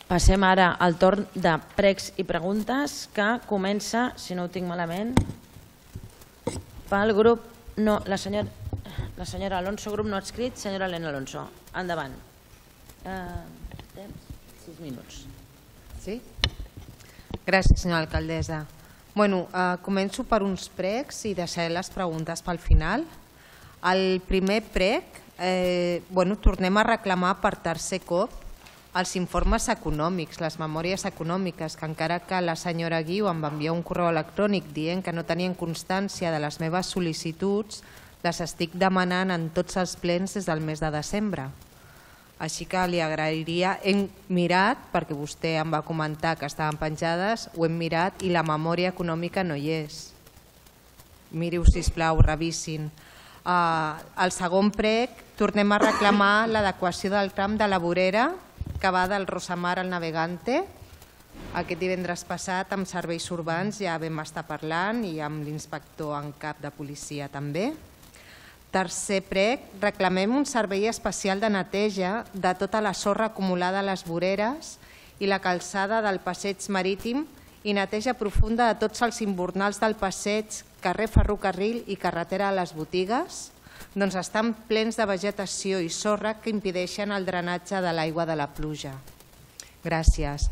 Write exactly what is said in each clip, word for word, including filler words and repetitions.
Passem ara al torn de pregs i preguntes, que comença, si no ho tinc malament, pel grup... No, la senyora, la senyora Alonso, grup no adscrit, senyora Elena Alonso. Endavant. Sis minuts. Sí? Gràcies, senyora alcaldessa. Bueno, començo per uns pregs i deixaré les preguntes pel final. El primer preg, tornem a reclamar per tercer cop els informes econòmics, les memòries econòmiques, que encara que la senyora Guiu em va enviar un correu electrònic dient que no tenien constància de les meves sol·licituds, les estic demanant en tots els plens des del mes de desembre. Així que li agrairia, hem mirat, perquè vostè em va comentar que estaven penjades, ho hem mirat i la memòria econòmica no hi és. Miri-ho, sisplau, revisin. El segon preg, tornem a reclamar l'adequació del tram de la vorera que va del Rosamar al Navegante. Aquest divendres passat amb serveis urbans ja vam estar parlant i amb l'inspector en cap de policia també. Tercer preg, reclamem un servei especial de neteja de tota la sorra acumulada a les voreres i la calçada del passeig marítim i neteja profunda de tots els imbornals del passeig, carrer Ferrocarril i carretera a les botigues, doncs estan plens de vegetació i sorra que impedeixen el drenatge de l'aigua de la pluja. Gràcies.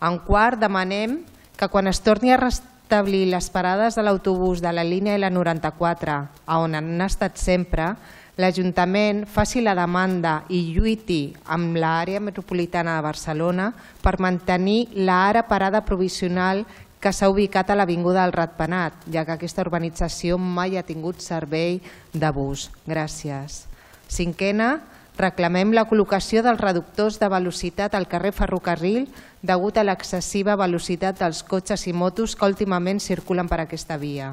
En quart, demanem que quan es torni a restablir les parades de l'autobús de la línia L noranta-quatre, on han estat sempre, l'Ajuntament faci la demanda i lluiti amb l'àrea metropolitana de Barcelona per mantenir l'ara parada provisional que s'ha ubicat a l'Avinguda del Ratpenat, ja que aquesta urbanització mai ha tingut servei de bus. Gràcies. Cinquena, reclamem la col·locació dels reductors de velocitat al carrer Ferrocarril degut a l'excessiva velocitat dels cotxes i motos que últimament circulen per aquesta via.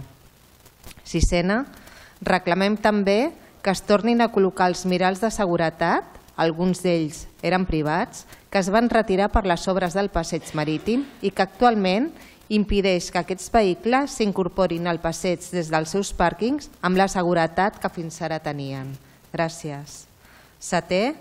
Sisena, reclamem també que es tornin a col·locar els miralls de seguretat, alguns d'ells eren privats, que es van retirar per les obres del passeig marítim i que actualment impedeix que aquests vehicles s'incorporin al passeig des dels seus pàrquings amb la seguretat que fins ara tenien. Gràcies. Setè,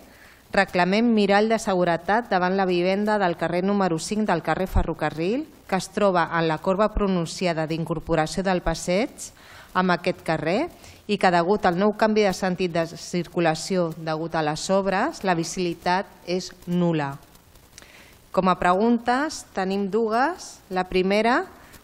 reclamem mirall de seguretat davant la vivenda del carrer número cinc del carrer Ferrocarril, que es troba en la corba pronunciada d'incorporació del passeig amb aquest carrer i que degut al nou canvi de sentit de circulació degut a les obres, la visibilitat és nul·la. Com a preguntes tenim dues. La primera,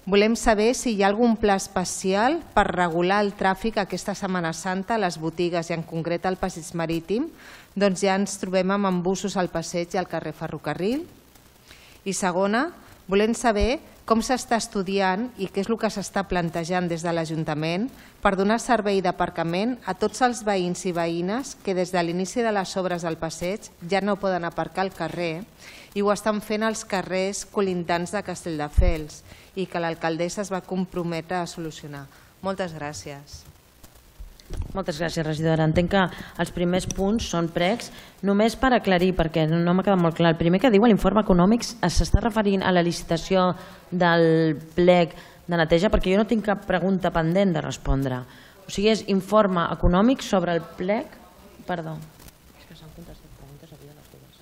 volem saber si hi ha algun pla especial per regular el tràfic aquesta Setmana Santa a les botigues i en concret al passeig marítim, doncs ja ens trobem amb embussos al passeig i al carrer Ferrocarril. I segona, volem saber com s'està estudiant i què és el que s'està plantejant des de l'Ajuntament per donar servei d'aparcament a tots els veïns i veïnes que des de l'inici de les obres del passeig ja no poden aparcar al carrer i ho estan fent als carrers colindants de Castelldefels i que l'alcaldessa es va comprometre a solucionar. Moltes gràcies. Moltes gràcies, regidora. Entenc que els primers punts són pregs. Només per aclarir, perquè no m'ha quedat molt clar, el primer que diu l'informe econòmic s'està referint a la licitació del plec de neteja, perquè jo no tinc cap pregunta pendent de respondre. O sigui, és informe econòmic sobre el plec... Perdó. És que s'han contestat preguntes avui a les dues.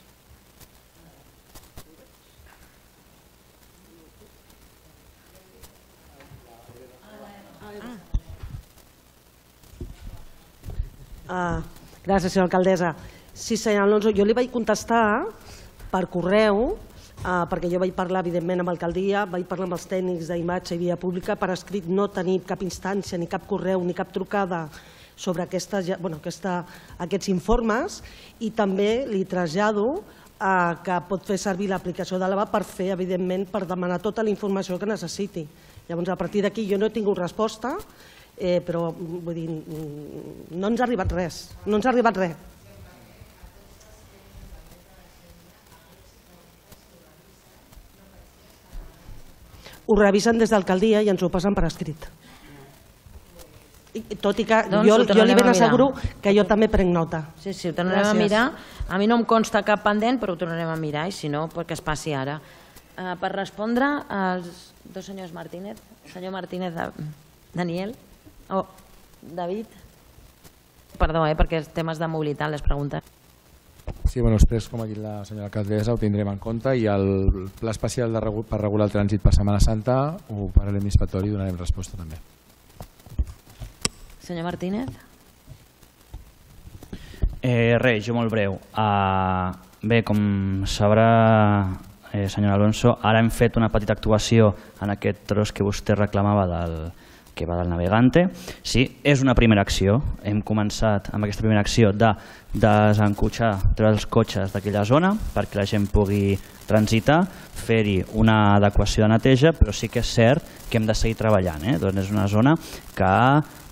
Ah, gràcies, senyora alcaldessa. Sí, senyor Alonso, jo li vaig contestar per correu, ah, perquè jo vaig parlar, evidentment, amb l'alcaldia, vaig parlar amb els tècnics d'imatge i via pública, per escrit no tenir cap instància, ni cap correu, ni cap trucada sobre aquesta, bueno, aquesta, aquests informes, i també li trasllado ah, que pot fer servir l'aplicació de l'A B A per fer, evidentment, per demanar tota la informació que necessiti. Llavors, a partir d'aquí jo no he tingut resposta, Eh, però vull dir, no ens ha arribat res, no ens ha arribat res. Ho revisen des d'alcaldia i ens ho passen per escrit. Tot i que jo li ben asseguro que jo també prenc nota. Sí, sí, ho tornarem a mirar. A mi no em consta cap pendent, però ho tornarem a mirar, i si no, que es passi ara. Per respondre als dos senyors Martínez, senyor Martínez, Daniel, Oh, David. Perdó, eh, perquè els temes de mobilitat, les preguntes. Sí, bueno, després, com ha dit la senyora alcaldessa, ho tindrem en compte i el pla especial de regu per regular el trànsit per Setmana Santa ho parlarem inspectori i donarem resposta també. Senyor Martínez. Eh, res, jo molt breu. Uh, bé, com sabrà, eh, senyor Alonso, ara hem fet una petita actuació en aquest tros que vostè reclamava del que va del Navegante. Sí, és una primera acció. Hem començat amb aquesta primera acció de desencotxar, treure els cotxes d'aquella zona perquè la gent pugui transitar, fer-hi una adequació de neteja, però sí que és cert que hem de seguir treballant. Eh? Doncs és una zona que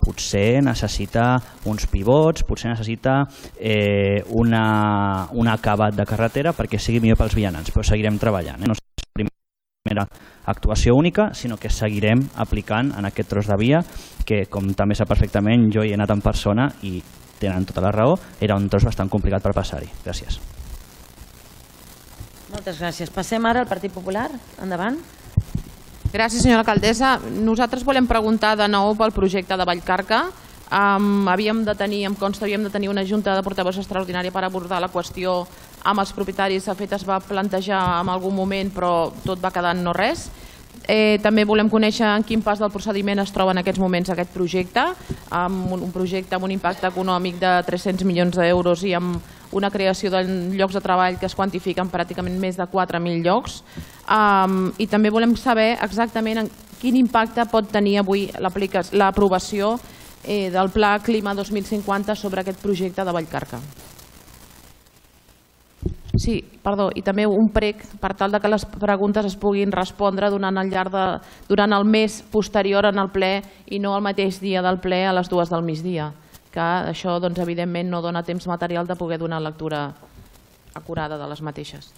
potser necessita uns pivots, potser necessita eh, una, un acabat de carretera perquè sigui millor pels vianants, però seguirem treballant. Eh? No és la primera actuació única, sinó que seguirem aplicant en aquest tros de via que, com també sap perfectament, jo hi he anat en persona i tenen tota la raó, era un tros bastant complicat per passar-hi. Gràcies. Moltes gràcies. Passem ara al Partit Popular. Endavant. Gràcies, senyora alcaldessa. Nosaltres volem preguntar de nou pel projecte de Vallcarca. Um, havíem de tenir, em consta, havíem de tenir una junta de portaveus extraordinària per abordar la qüestió amb els propietaris. De fet, es va plantejar en algun moment, però tot va quedar en no res. Eh, també volem conèixer en quin pas del procediment es troba en aquests moments aquest projecte, amb un, un projecte amb un impacte econòmic de tres-cents milions d'euros i amb una creació de llocs de treball que es quantifiquen pràcticament més de quatre mil llocs. Um, I també volem saber exactament en quin impacte pot tenir avui l'aprovació eh, del Pla Clima dos mil cinquanta sobre aquest projecte de Vallcarca. Sí, perdó, i també un prec per tal de que les preguntes es puguin respondre durant el, llarg de, durant el mes posterior en el ple i no el mateix dia del ple a les dues del migdia, que això doncs, evidentment no dona temps material de poder donar lectura acurada de les mateixes.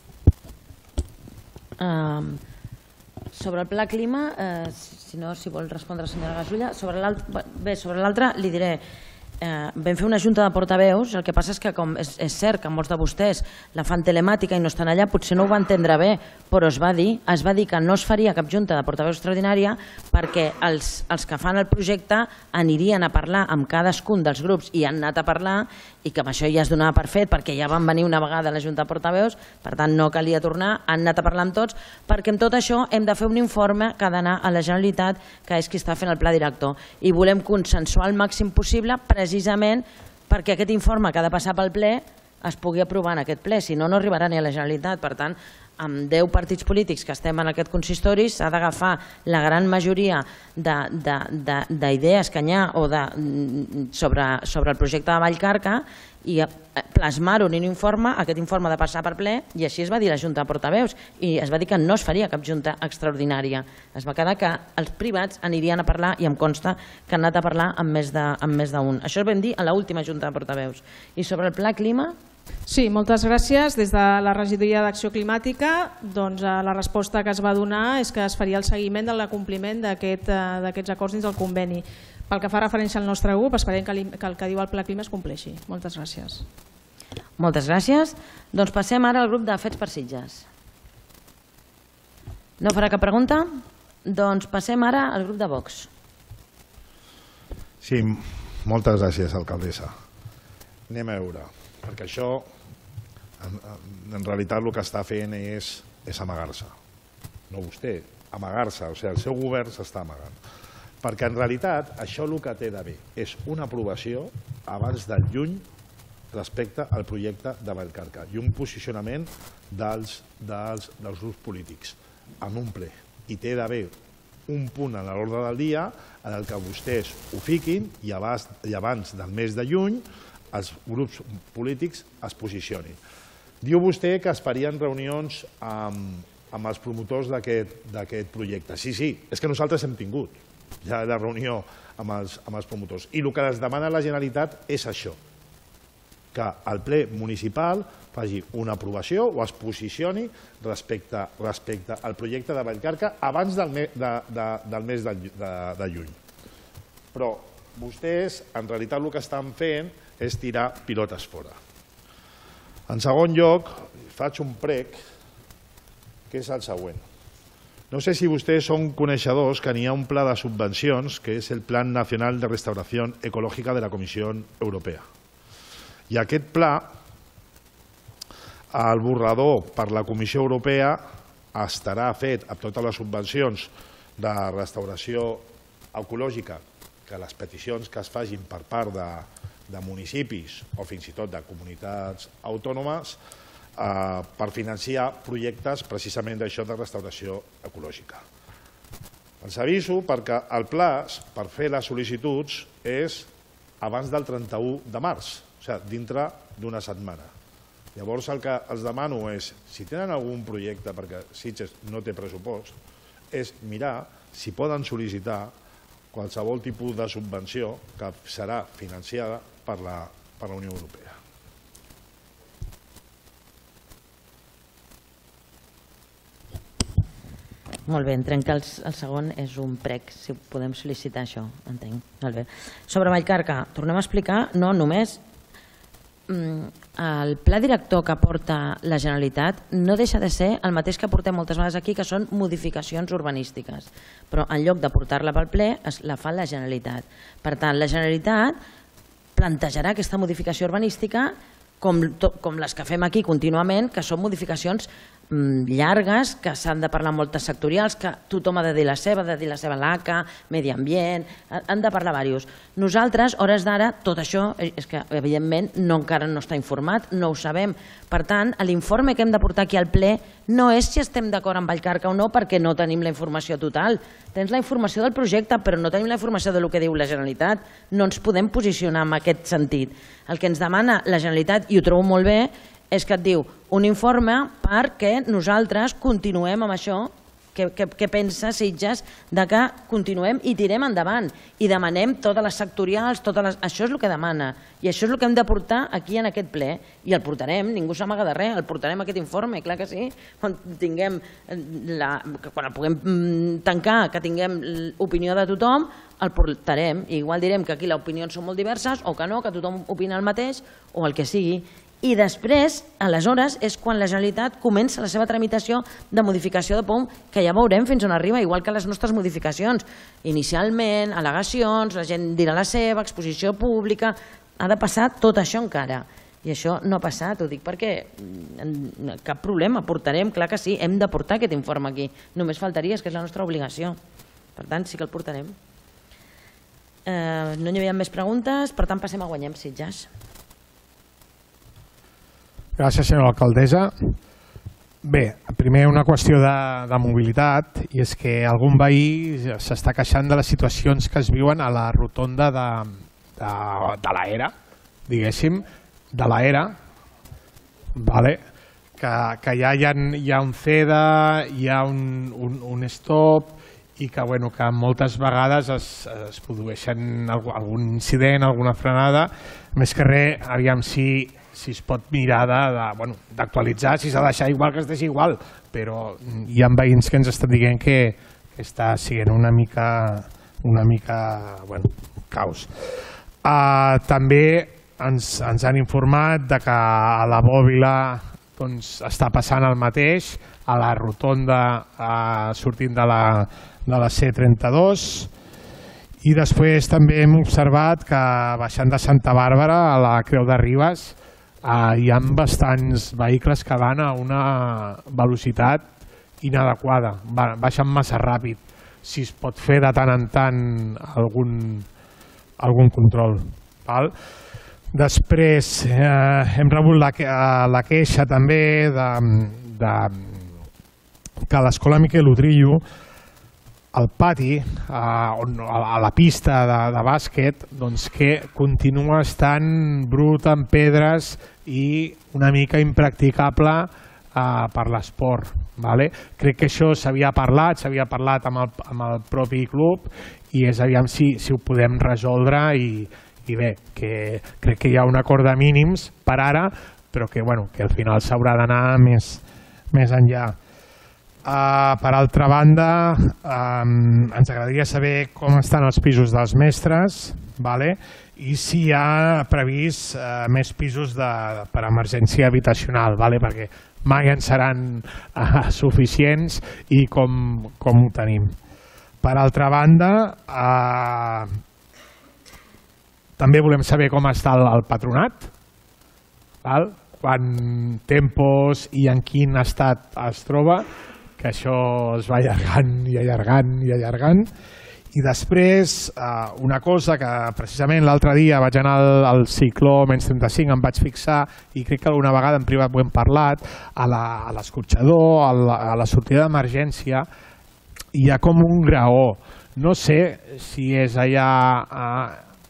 Um, sobre el pla clima, eh, si no, si vol respondre la senyora Gasulla, sobre l'altre, bé, sobre l'altre li diré, Eh, vam fer una junta de portaveus, el que passa és que com és, és cert que molts de vostès la fan telemàtica i no estan allà, potser no ho va entendre bé, però es va dir, es va dir que no es faria cap junta de portaveus extraordinària perquè els, els que fan el projecte anirien a parlar amb cadascun dels grups i han anat a parlar i que amb això ja es donava per fet perquè ja van venir una vegada a la junta de portaveus, per tant no calia tornar, han anat a parlar amb tots perquè amb tot això hem de fer un informe que ha d'anar a la Generalitat, que és qui està fent el pla director, i volem consensuar el màxim possible precisament perquè aquest informe que ha de passar pel ple es pugui aprovar en aquest ple, si no, no arribarà ni a la Generalitat. Per tant, amb deu partits polítics que estem en aquest consistori s'ha d'agafar la gran majoria d'idees que hi ha o de, sobre, sobre el projecte de Vallcarca i plasmar-ho en un informe, aquest informe ha de passar per ple, i així es va dir la Junta de Portaveus, i es va dir que no es faria cap junta extraordinària. Es va quedar que els privats anirien a parlar, i em consta que han anat a parlar amb més d'un. Això ho vam dir a l'última Junta de Portaveus. I sobre el pla clima... Sí, moltes gràcies. Des de la regidoria d'Acció Climàtica, doncs, la resposta que es va donar és que es faria el seguiment del compliment d'aquests acords dins del conveni. Pel que fa referència al nostre grup, esperem que el que diu el Pla Clima es compleixi. Moltes gràcies. Moltes gràcies. Doncs passem ara al grup de Fets per Sitges. No farà cap pregunta? Doncs passem ara al grup de Vox. Sí, moltes gràcies, alcaldessa. Anem a veure, perquè això, en, en realitat el que està fent és, és amagar-se. No vostè, amagar-se, o sigui, el seu govern s'està amagant. Perquè en realitat això el que té d'haver és una aprovació abans del juny respecte al projecte de Vallcarca i un posicionament dels, dels, dels grups polítics en un ple. I té d'haver un punt en l'ordre del dia en el que vostès ho fiquin i abans, i abans del mes de juny els grups polítics es posicionin. Diu vostè que es farien reunions amb, amb els promotors d'aquest projecte. Sí, sí, és que nosaltres hem tingut ja la reunió amb els, amb els promotors. I el que es demana a la Generalitat és això, que el ple municipal faci una aprovació o es posicioni respecte, respecte al projecte de Vallcarca abans del, me, de, de, del mes de, de, de juny. Però vostès, en realitat, el que estan fent és tirar pilotes fora. En segon lloc, faig un prec, que és el següent. No sé si vostès són coneixedors que n'hi ha un pla de subvencions que és el Plan Nacional de Restauración Ecológica de la Comissió Europea. I aquest pla El borrador per la Comissió Europea estarà fet amb totes les subvencions de restauració ecològica, que les peticions que es facin per part de, de municipis o fins i tot de comunitats autònomes eh, per financiar projectes precisament d'això de restauració ecològica. Els aviso perquè el plaç per fer les sol·licituds és abans del trenta-u de març, o sigui, dintre d'una setmana. Llavors el que els demano és, si tenen algun projecte, perquè Sitges no té pressupost, és mirar si poden sol·licitar qualsevol tipus de subvenció que serà financiada per la, per la Unió Europea. Molt bé, entenc que el, el segon és un prec, si podem sol·licitar això, entenc. Molt bé. Sobre Vallcarca, tornem a explicar, no només el pla director que porta la Generalitat no deixa de ser el mateix que portem moltes vegades aquí, que són modificacions urbanístiques, però en lloc de portar-la pel ple la fa la Generalitat. Per tant, la Generalitat plantejarà aquesta modificació urbanística com, com les que fem aquí contínuament, que són modificacions llargues, que s'han de parlar moltes sectorials, que tothom ha de dir la seva, ha de dir la seva l'A C A, medi ambient, han de parlar diversos. Nosaltres, hores d'ara, tot això, és que evidentment no, encara no està informat, no ho sabem. Per tant, l'informe que hem de portar aquí al ple no és si estem d'acord amb Vallcarca o no, perquè no tenim la informació total. Tens la informació del projecte, però no tenim la informació del que diu la Generalitat. No ens podem posicionar en aquest sentit. El que ens demana la Generalitat, i ho trobo molt bé, és que et diu un informe perquè nosaltres continuem amb això, que, que, que pensa Sitges de que continuem i tirem endavant i demanem totes les sectorials, totes les... això és el que demana i això és el que hem de portar aquí en aquest ple i el portarem, ningú s'amaga de res, el portarem aquest informe, clar que sí, quan tinguem la... quan el puguem tancar, que tinguem l'opinió de tothom, el portarem i igual direm que aquí les opinions són molt diverses o que no, que tothom opina el mateix o el que sigui. I després, aleshores, és quan la Generalitat comença la seva tramitació de modificació de P O M, que ja veurem fins on arriba, igual que les nostres modificacions. Inicialment, al·legacions, la gent dirà la seva, exposició pública, ha de passar tot això encara. I això no ha passat, ho dic perquè cap problema, portarem, clar que sí, hem de portar aquest informe aquí. Només faltaria, és que és la nostra obligació. Per tant, sí que el portarem. No hi havia més preguntes, per tant passem a Guanyem Sitges. Gràcies, senyora alcaldessa. Bé, primer una qüestió de, de mobilitat, i és que algun veí s'està queixant de les situacions que es viuen a la rotonda de, de, de l'Era, diguéssim, de l'Era, vale? que, que ja hi ha, hi ha un C E D A, hi ha un, un, un stop, i que, bueno, que moltes vegades es, es produeixen algun incident, alguna frenada, més que res, aviam si... si es pot mirar d'actualitzar, si s'ha de deixar igual que es deixi igual, però hi ha veïns que ens estan dient que, que està sent una mica, una mica bueno, caos. Uh, també ens, ens han informat de que a la Bòbila doncs, està passant el mateix, a la rotonda uh, sortint de la, de la C trenta-dos, i després també hem observat que baixant de Santa Bàrbara a la Creu de Ribes Uh, hi ha bastants vehicles que van a una velocitat inadequada, baixen massa ràpid. Si es pot fer de tant en tant algun, algun control. Val? Després eh, hem rebut la, la queixa també de, de, que a l'escola Miquel Utrillo al pati, a, a la pista de, de bàsquet, doncs que continua estant brut amb pedres i una mica impracticable uh, per l'esport. Vale? Crec que això s'havia parlat, s'havia parlat amb el, amb el propi club i és aviam si, si ho podem resoldre i, i bé, que crec que hi ha un acord de mínims per ara, però que, bueno, que al final s'haurà d'anar més, més enllà. Uh, per altra banda, um, ens agradaria saber com estan els pisos dels mestres, vale? I si hi ha previst uh, més pisos de, per emergència habitacional, vale? Perquè mai en seran uh, suficients i com, com ho tenim. Per altra banda, uh, també volem saber com està el, el patronat, val? quan tempos i en quin estat es troba, que això es va allargant i allargant i allargant. I després, una cosa que precisament l'altre dia vaig anar al cicló menys trenta-cinc, em vaig fixar, i crec que alguna vegada en privat ho hem parlat, a l'escorxador, a la sortida d'emergència, hi ha com un graó. No sé si és allà,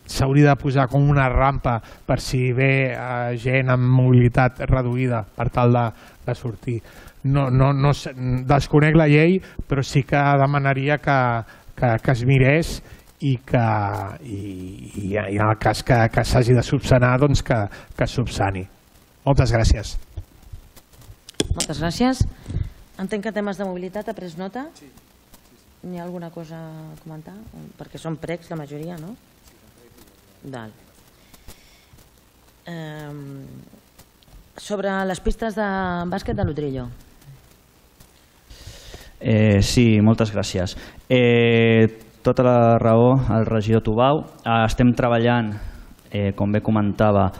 s'hauria de posar com una rampa per si ve gent amb mobilitat reduïda per tal de sortir. No desconec la llei, però sí que demanaria que que es mirés i que en el cas que s'hagi de subsanar, doncs que es subsani. Moltes gràcies. Moltes gràcies. Entenc que temes de mobilitat ha pres nota? Sí. N'hi ha alguna cosa a comentar? Perquè són pregs la majoria, no? Val. Sobre les pistes de bàsquet de l'Utrillo. Eh, sí, moltes gràcies. Eh, tota la raó, el regidor Tubau. Eh, estem treballant, eh, com bé comentava,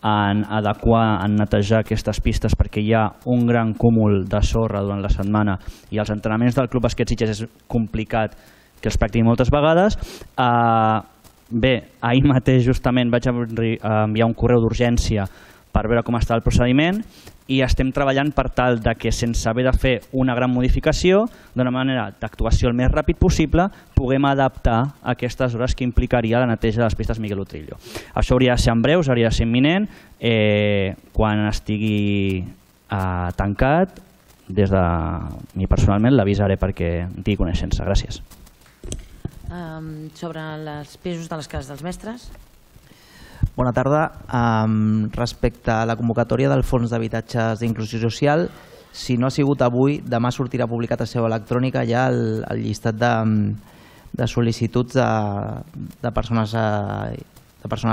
en adequar, en netejar aquestes pistes perquè hi ha un gran cúmul de sorra durant la setmana i els entrenaments del Club Bàsquet Sitges és complicat que els practiquin moltes vegades. Eh, bé, ahir mateix justament vaig enviar un correu d'urgència per veure com està el procediment i estem treballant per tal de que sense haver de fer una gran modificació, d'una manera d'actuació el més ràpid possible, puguem adaptar aquestes hores que implicaria la neteja de les pistes Miguel Utrillo. Això hauria de ser en breus, hauria de ser imminent, quan estigui tancat, des de mi personalment l'avisaré perquè en tingui coneixença. Gràcies. Sobre els pisos de les cases dels mestres? Bona tarda. Respecte a la convocatòria del Fons d'Habitatges d'Inclusió Social, si no ha sigut avui, demà sortirà publicat a seu electrònica ja el llistat de sol·licituds de persones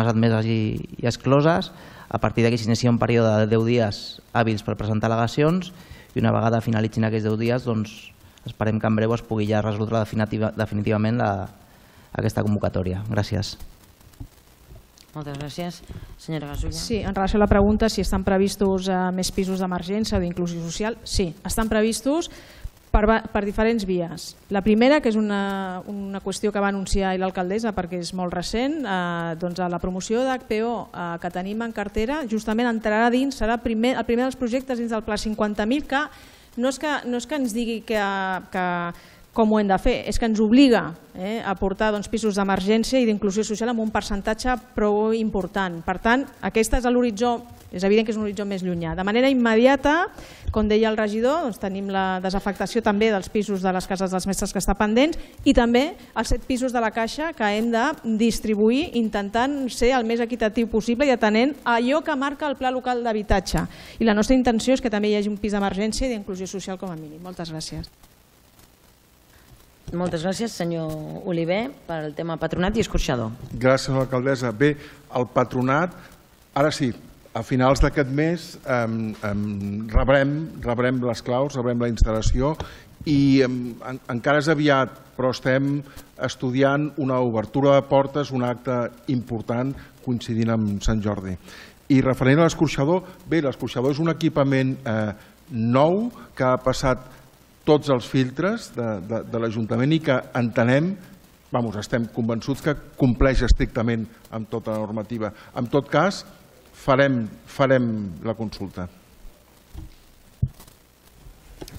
admeses i excloses. A partir d'aquí s'inicia un període de deu dies hàbils per presentar al·legacions i una vegada finalitzin aquests deu dies esperem que en breu es pugui ja resoldre definitivament aquesta convocatòria. Gràcies. Moltes gràcies. Senyora Gasulla. Sí, en relació a la pregunta si estan previstos més pisos d'emergència o d'inclusió social, sí, estan previstos per diferents vies. La primera, que és una qüestió que va anunciar l'alcaldessa perquè és molt recent, doncs la promoció d'H P O que tenim en cartera justament entrarà dins, serà el primer dels projectes dins del Pla cinquanta mil, que no és que ens digui que com ho hem de fer, és que ens obliga a portar pisos d'emergència i d'inclusió social amb un percentatge prou important. Per tant, aquest és l'horitzó, és evident que és un horitzó més llunyà. De manera immediata, com deia el regidor, tenim la desafectació també dels pisos de les cases dels mestres que està pendents i també els set pisos de la Caixa que hem de distribuir intentant ser el més equitatiu possible i atenent allò que marca el Pla Local d'Habitatge. I la nostra intenció és que també hi hagi un pis d'emergència i d'inclusió social com a mínim. Moltes gràcies. Moltes gràcies, senyor Oliver, pel tema patronat i escorxador. Gràcies, senyora alcaldessa. Bé, el patronat, ara sí, a finals d'aquest mes rebrem les claus, rebrem la instal·lació i encara és aviat, però estem estudiant una obertura de portes, un acte important coincidint amb Sant Jordi. I referent a l'escorxador, bé, l'escorxador és un equipament nou que ha passat tots els filtres de l'Ajuntament i que entenem, estem convençuts que compleix estrictament amb tota la normativa. En tot cas, farem la consulta.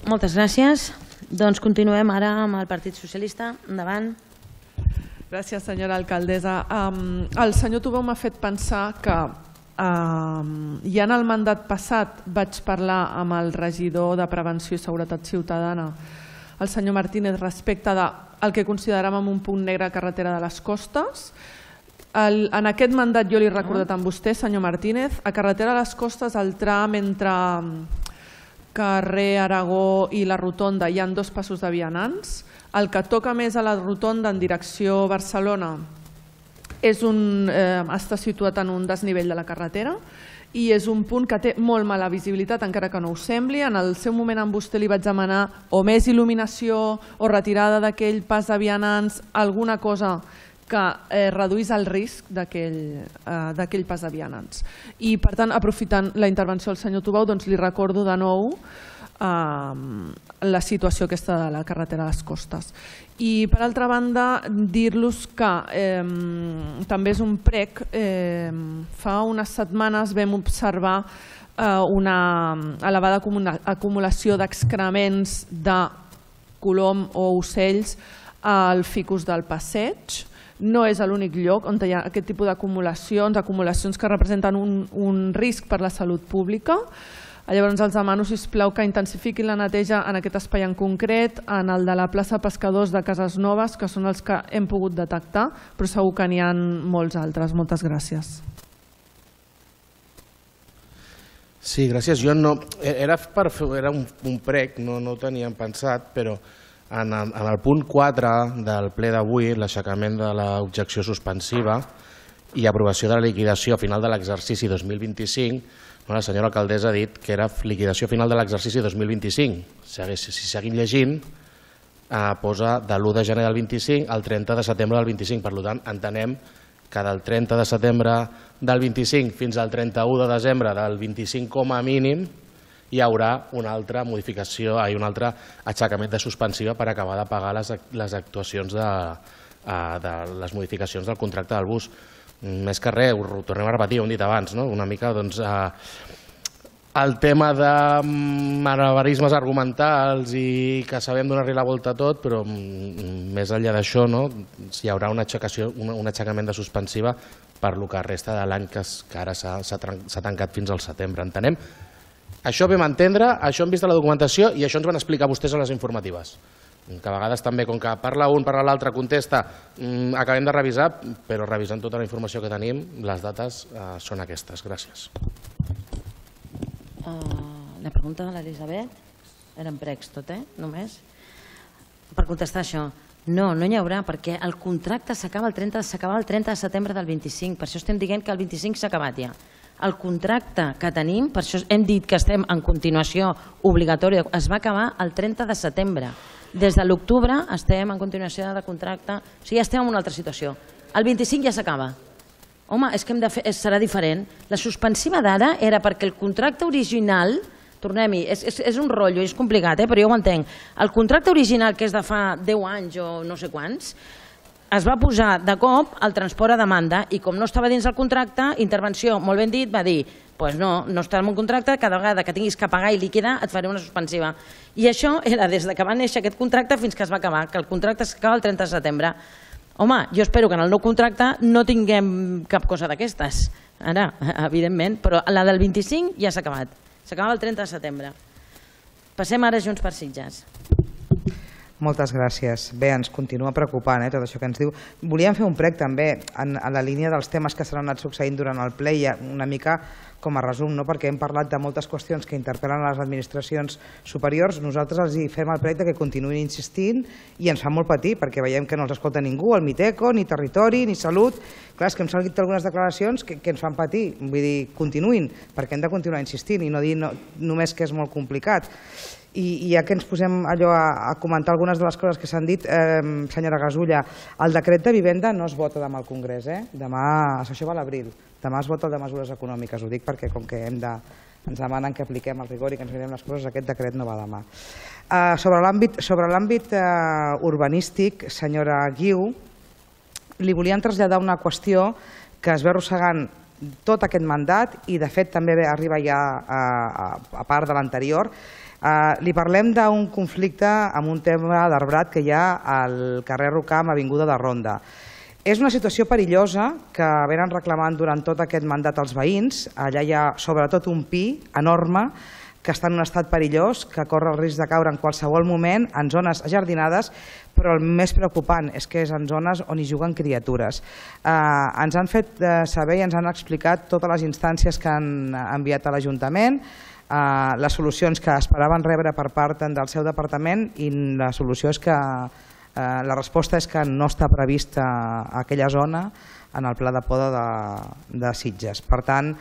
Moltes gràcies. Doncs continuem ara amb el Partit Socialista. Endavant. Gràcies, senyora alcaldessa. El senyor Tubau m'ha fet pensar que ja en el mandat passat vaig parlar amb el regidor de Prevenció i Seguretat Ciutadana, el senyor Martínez, respecte del que consideràvem un punt negre a carretera de les Costes. En aquest mandat jo li he recordat amb vostè, senyor Martínez, a carretera de les Costes, el tram entre carrer Aragó i la Rotonda hi ha dos passos de vianants. El que toca més a la Rotonda en direcció Barcelona està situat en un desnivell de la carretera i és un punt que té molt mala visibilitat, encara que no ho sembli. En el seu moment amb vostè li vaig demanar o més il·luminació o retirada d'aquell pas de vianants, alguna cosa que eh, reduís el risc d'aquell eh, pas de vianants. I, per tant, aprofitant la intervenció del senyor Tubau, doncs li recordo de nou eh, la situació aquesta de la carretera a les costes. I, per altra banda, dir-los que eh, també és un prec. Eh, fa unes setmanes vam observar eh, una elevada acumulació d'excrements de colom o ocells al ficus del passeig. No és l'únic lloc on hi ha aquest tipus d'acumulacions, acumulacions que representen un, un risc per la salut pública. Llavors els demano, sisplau, que intensifiquin la neteja en aquest espai en concret, en el de la plaça Pescadors de Cases Noves, que són els que hem pogut detectar, però segur que n'hi ha molts altres. Moltes gràcies. Sí, gràcies. Jo no, era, per, era un, un prec, no, no ho teníem pensat, però en el, en el punt quatre del ple d'avui, l'aixecament de l'objecció suspensiva i aprovació de la liquidació a final de l'exercici dos mil vint-i-cinc, la senyora alcaldessa ha dit que era liquidació final de l'exercici dos mil vint-i-cinc. Si seguim llegint, eh, posa de l'u de gener del vint-i-cinc al trenta de setembre del vint-i-cinc. Per tant, entenem que del trenta de setembre del vint-i-cinc fins al trenta-u de desembre del vint-i-cinc com a mínim hi haurà una altra modificació, un altre aixecament de suspensiva per acabar de pagar les, les actuacions de, de les modificacions del contracte del bus. Més que res, ho tornem a repetir, ho hem dit abans, no? Una mica doncs, eh, el tema de malabarismes argumentals i que sabem donar-li la volta a tot, però més enllà d'això, no? Si hi haurà una aixecació, un, un aixecament de suspensiva per lo que resta de l'any que, que ara s'ha tancat fins al setembre. Entenem? Això vam entendre, això hem vist a la documentació i això ens van explicar vostès a les informatives. Que a vegades també, com que parla un, parla l'altre, contesta, acabem de revisar, però revisant tota la informació que tenim, les dates són aquestes. Gràcies. La pregunta de l'Elisabet, eren precs tot, eh? Només. Per contestar això, no, no n'hi haurà, perquè el contracte s'acaba el trenta de setembre del vint-i-cinc, per això estem dient que el vint-i-cinc s'ha acabat ja. El contracte que tenim, per això hem dit que estem en continuació obligatòria, es va acabar el trenta de setembre. Des de l'octubre estem en continuació de contracte, o sigui, ja estem en una altra situació. El vint-i-cinc ja s'acaba. Home, és que hem de fer, serà diferent. La suspensiva d'ara era perquè el contracte original, tornem-hi, és, és, és un rotllo, és complicat, eh, però jo ho entenc. El contracte original, que és de fa deu anys o no sé quants, es va posar de cop el transport a demanda i com no estava dins el contracte, intervenció, molt ben dit, va dir doncs no, no està en un contracte, cada vegada que tinguis que pagar i liquidar et faré una suspensiva. I això era des que va néixer aquest contracte fins que es va acabar, que el contracte s'acaba el trenta de setembre. Home, jo espero que en el nou contracte no tinguem cap cosa d'aquestes, ara, evidentment, però la del vint-i-cinc ja s'ha acabat, s'acaba el trenta de setembre. Passem ara Junts per Sitges. Moltes gràcies. Bé, ens continua preocupant eh, tot això que ens diu. Volíem fer un prec també en, en la línia dels temes que s'han anat succeint durant el ple i una mica com a resum, no? Perquè hem parlat de moltes qüestions que interpel·len a les administracions superiors. Nosaltres els hi fem el prec que continuïn insistint i ens fa molt patir perquè veiem que no els escolta ningú, el Miteco, ni Territori, ni Salut. Clar, és que hem sentit algunes declaracions que, que ens fan patir. Vull dir, continuïn, perquè hem de continuar insistint i no dir no, només que és molt complicat. I ja que ens posem allò a, a comentar algunes de les coses que s'han dit, eh, senyora Gasulla, el decret de vivenda no es vota demà al Congrés, eh? Demà, això va a l'abril, demà es vota el de mesures econòmiques, ho dic perquè com que hem de, ens demanen que apliquem el rigor i que ens mirem les coses, aquest decret no va demà. Eh, sobre l'àmbit sobre l'àmbit eh, urbanístic, senyora Guiu, li volíem traslladar una qüestió que es ve arrossegant tot aquest mandat i de fet també arriba ja a, a, a part de l'anterior. Uh, li parlem d'un conflicte amb un tema d'arbrat que hi ha al carrer Rocam, avinguda de Ronda. És una situació perillosa que venen reclamant durant tot aquest mandat els veïns. Allà hi ha sobretot un pi enorme que està en un estat perillós, que corre el risc de caure en qualsevol moment en zones ajardinades, però el més preocupant és que és en zones on hi juguen criatures. Uh, ens han fet uh, saber i ens han explicat totes les instàncies que han enviat a l'Ajuntament, Uh, les solucions que esperaven rebre per part del seu departament i la solució és que uh, la resposta és que no està prevista aquella zona en el pla de poda de, de Sitges. Per tant,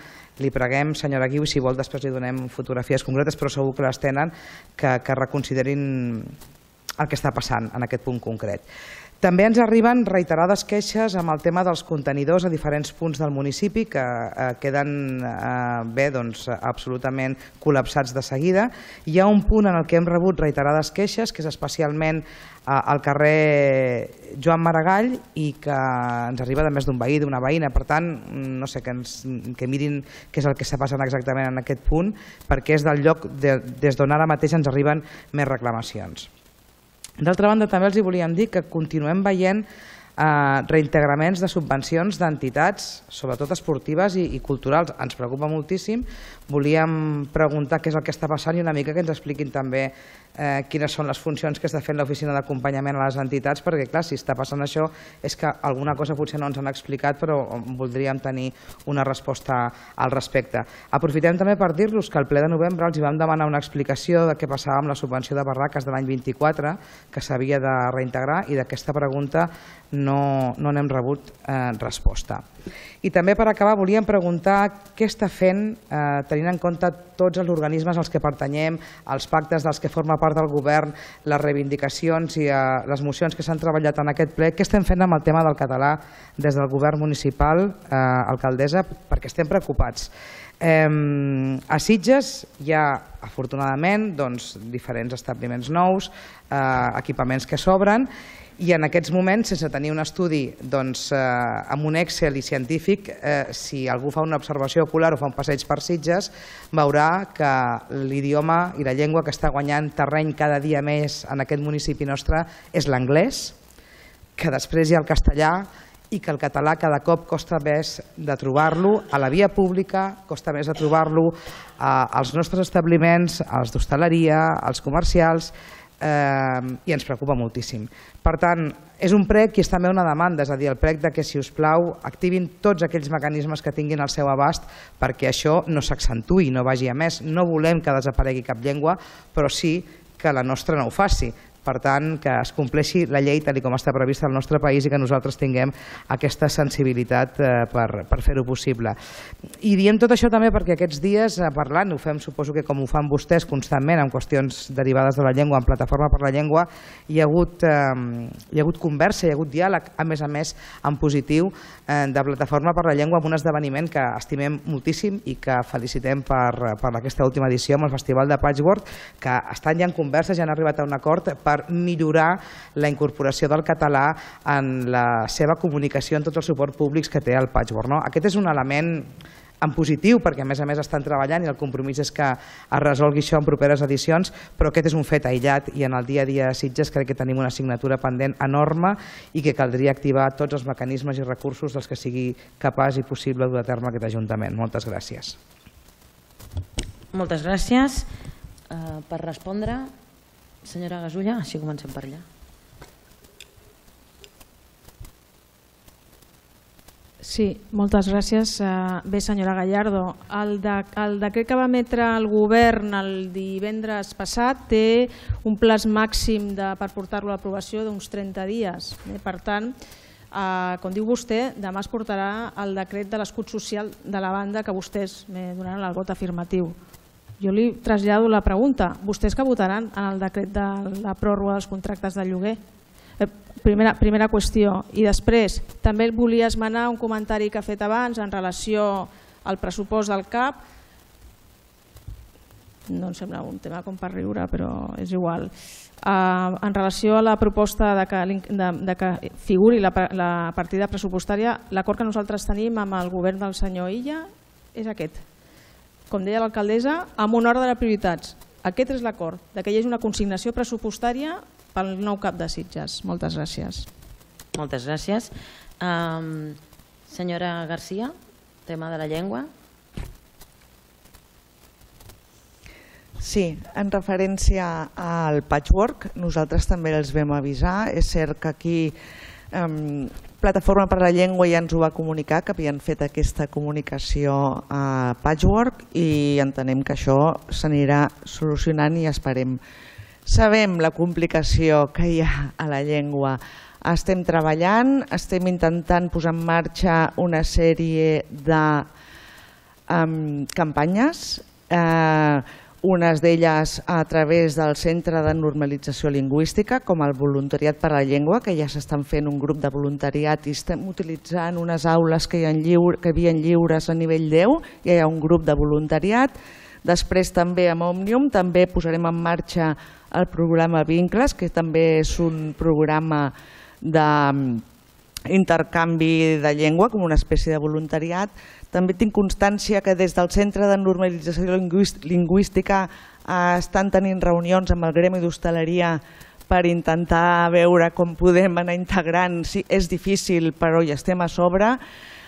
li preguem, senyora Guiu, si vol després li donem fotografies concretes, però segur que les tenen, que, que reconsiderin el que està passant en aquest punt concret. També ens arriben reiterades queixes amb el tema dels contenidors a diferents punts del municipi que queden bé, doncs, absolutament col·lapsats de seguida. Hi ha un punt en el que hem rebut reiterades queixes, que és especialment al carrer Joan Maragall, i que ens arriba de més d'un veí, d'una veïna. Per tant, no sé, que mirin què és el que està passant exactament en aquest punt, perquè és del lloc des d'on ara mateix ens arriben més reclamacions. D'altra banda, també els volíem dir que continuem veient reintegraments de subvencions d'entitats, sobretot esportives i culturals. Ens preocupa moltíssim. Volíem preguntar què és el que està passant i una mica que ens expliquin també quines són les funcions que està fent l'oficina d'acompanyament a les entitats, perquè clar, si està passant això és que alguna cosa potser no ens han explicat, però voldríem tenir una resposta al respecte. Aprofitem també per dir-los que al ple de novembre els vam demanar una explicació de què passava amb la subvenció de barraques de l'any vint-i-quatre, que s'havia de reintegrar, i d'aquesta pregunta no n'hem rebut resposta. I també, per acabar, volíem preguntar què està fent, tenint en compte tots els organismes als que pertanyem, els pactes dels que forma part del govern, les reivindicacions i les mocions que s'han treballat en aquest ple, què estem fent amb el tema del català des del govern municipal, alcaldessa, perquè estem preocupats. A Sitges hi ha, afortunadament, diferents establiments nous, equipaments que s'obren, i en aquests moments, sense tenir un estudi amb un Excel i científic, si algú fa una observació ocular o fa un passeig per Sitges, veurà que l'idioma i la llengua que està guanyant terreny cada dia més en aquest municipi nostre és l'anglès, que després hi ha el castellà, i que el català cada cop costa més de trobar-lo a la via pública, costa més de trobar-lo als nostres establiments, als d'hostaleria, als comercials, i ens preocupa moltíssim. Per tant, és un prec i és també una demanda, és a dir, el prec que, si us plau, activin tots aquells mecanismes que tinguin al seu abast perquè això no s'accentuï, no vagi a més. No volem que desaparegui cap llengua, però sí que la nostra no ho faci. Per tant, que es compleixi la llei tal com està prevista al nostre país i que nosaltres tinguem aquesta sensibilitat per fer-ho possible. I diem tot això també perquè aquests dies, parlant, ho fem, suposo que com ho fan vostès constantment en qüestions derivades de la llengua, en Plataforma per la Llengua, hi ha hagut conversa, hi ha hagut diàleg, a més a més, en positiu, de Plataforma per la Llengua amb un esdeveniment que estimem moltíssim i que felicitem per aquesta última edició amb el Festival de Patchwork, que estan ja en conversa, ja han arribat a un acord per per millorar la incorporació del català en la seva comunicació en tots els suports públics que té el Patchwork. Aquest és un element en positiu, perquè a més a més estan treballant i el compromís és que es resolgui això en properes edicions, però aquest és un fet aïllat i en el dia a dia a Sitges crec que tenim una assignatura pendent enorme i que caldria activar tots els mecanismes i recursos dels que sigui capaç i possible dur a terme aquest Ajuntament. Moltes gràcies. Moltes gràcies. Per respondre, senyora Gasulla, així comencem per allà. Sí, moltes gràcies. Bé, senyora Gallardo, el decret que va emetre el govern el divendres passat té un plaç màxim per portar-lo a l'aprovació d'uns trenta dies. Per tant, com diu vostè, demà es portarà el decret de l'escut social de la banda que vostès me donaran el vot afirmatiu. Jo li trasllado la pregunta. Vostès que votaran en el decret de la pròrroga dels contractes de lloguer? Primera qüestió. I després, també volia esmenar un comentari que ha fet abans en relació al pressupost del C A P. No em sembla un tema com per riure, però és igual. En relació a la proposta de que figuri la partida pressupostària, l'acord que nosaltres tenim amb el govern del senyor Illa és aquest. Com deia l'alcaldessa, amb un ordre de prioritats. Aquest és l'acord, que hi hagi una consignació pressupostària pel nou cap de Sitges. Moltes gràcies. Moltes gràcies. Senyora Garcia, tema de la llengua. Sí, en referència al patchwork, nosaltres també els vam avisar. És cert que aquí Plataforma per la Llengua ja ens ho va comunicar, que havien fet aquesta comunicació a Patchwork i entenem que això s'anirà solucionant i esperem. Sabem la complicació que hi ha a la llengua. Estem treballant, estem intentant posar en marxa una sèrie de campanyes. unes d'elles a través del Centre de Normalització Lingüística, com el Voluntariat per a la Llengua, que ja s'estan fent un grup de voluntariat i estem utilitzant unes aules que hi ha lliure, que hi havia lliures a nivell deu, ja hi ha un grup de voluntariat. Després també amb Òmnium també posarem en marxa el programa Vincles, que també és un programa d'intercanvi de llengua, com una espècie de voluntariat. També tinc constància que des del Centre de Normalització Lingüística estan tenint reunions amb el gremi d'hostaleria per intentar veure com podem anar integrant. Sí, és difícil, però hi estem a sobre.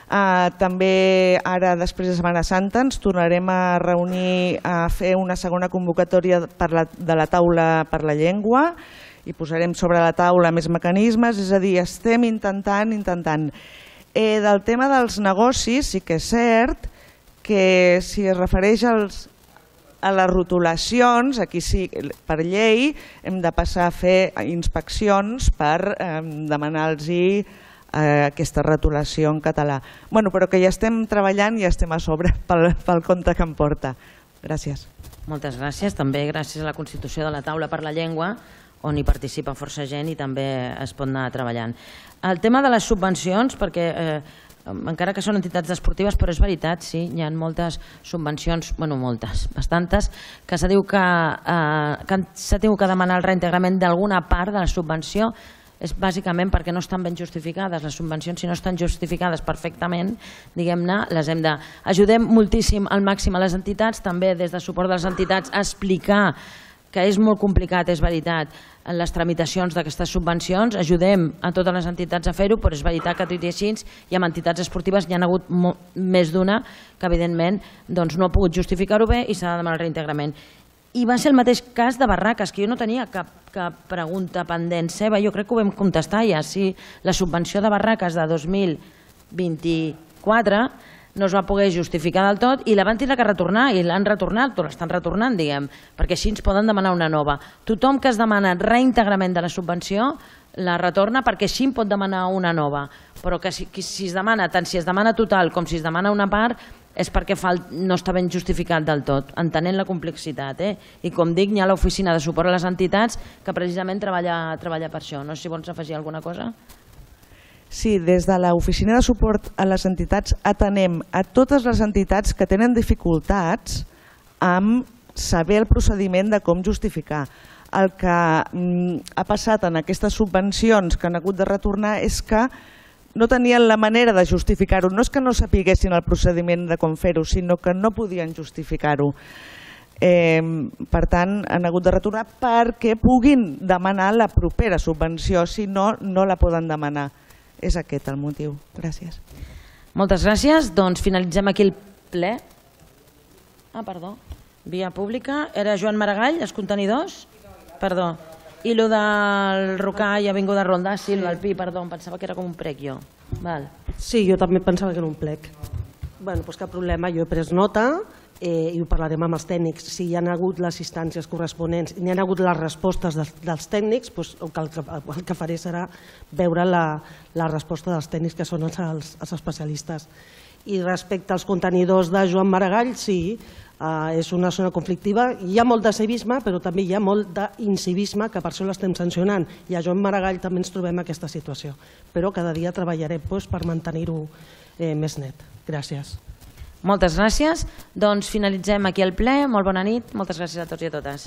També ara, després de Setmana Santa, ens tornarem a reunir a fer una segona convocatòria de la taula per la llengua i posarem sobre la taula més mecanismes, és a dir, estem intentant, intentant. Del tema dels negocis sí que és cert que si es refereix als, a les rotulacions, aquí sí, per llei, hem de passar a fer inspeccions per eh, demanar-los eh, aquesta rotulació en català. Bueno, però que ja estem treballant i ja estem a sobre pel, pel compte que em porta. Gràcies. Moltes gràcies. També gràcies a la constitució de la taula per la llengua, on hi participa força gent i també es pot anar treballant. El tema de les subvencions, perquè eh, encara que són entitats esportives, però és veritat, sí, hi ha moltes subvencions, bueno, moltes, bastantes, que s'ha dit que, eh, que s'ha tingut que demanar el reintegrament d'alguna part de la subvenció, és bàsicament perquè no estan ben justificades. Les subvencions, si no estan justificades perfectament, diguem-ne, les hem de... Ajudem moltíssim al màxim a les entitats, també des de suport de les entitats, a explicar que és molt complicat, és veritat, en les tramitacions d'aquestes subvencions. Ajudem a totes les entitats a fer-ho, però és veritat que tot i així i amb entitats esportives hi ha hagut més d'una que evidentment doncs, no ha pogut justificar-ho bé i s'ha de demanar el reintegrament. I va ser el mateix cas de Barraques, que jo no tenia cap, cap pregunta pendent seva, jo crec que ho vam contestar ja, si la subvenció de Barraques de dos mil vint-i-quatre no es va poder justificar del tot i la van tindre que retornar i l'han retornat, o l'estan retornant, diguem, perquè així ens poden demanar una nova. Tothom que es demana reintegrament de la subvenció la retorna perquè així en pot demanar una nova, però que si, si es demana, tant si es demana total com si es demana una part, és perquè no està ben justificat del tot, entenent la complexitat. Eh? I com dic, hi ha l'oficina de suport a les entitats que precisament treballa, treballa per això. No sé si vols afegir alguna cosa. Sí, des de l'oficina de suport a les entitats atenem a totes les entitats que tenen dificultats amb saber el procediment de com justificar. El que ha passat en aquestes subvencions que han hagut de retornar és que no tenien la manera de justificar-ho. No és que no sapiguessin el procediment de com fer-ho, sinó que no podien justificar-ho. Eh, per tant, han hagut de retornar perquè puguin demanar la propera subvenció, si no, no la poden demanar. És aquest el motiu. Gràcies. Moltes gràcies. Doncs finalitzem aquí el ple. Ah, perdó. Via pública. Era Joan Maragall, els contenidors? Perdó. I el del Rocà i Avinguda Ronda, sí, el del Pi, perdó, em pensava que era com un prec jo. Val. Sí, jo també pensava que era un plec. Bueno, doncs cap problema, jo he pres nota eh, i ho parlarem amb els tècnics. Si hi ha hagut les instàncies corresponents i hi ha hagut les respostes dels, dels tècnics, doncs el, que, el que faré serà veure la, la resposta dels tècnics, que són els, els, els especialistes. I respecte als contenidors de Joan Maragall, sí, eh, és una zona conflictiva. Hi ha molt de civisme, però també hi ha molt d'incivisme, que per això l'estem sancionant. I a Joan Maragall també ens trobem aquesta situació. Però cada dia treballarem doncs, per mantenir-ho eh, més net. Gràcies. Moltes gràcies. Doncs finalitzem aquí el ple. Molt bona nit. Moltes gràcies a tots i a totes.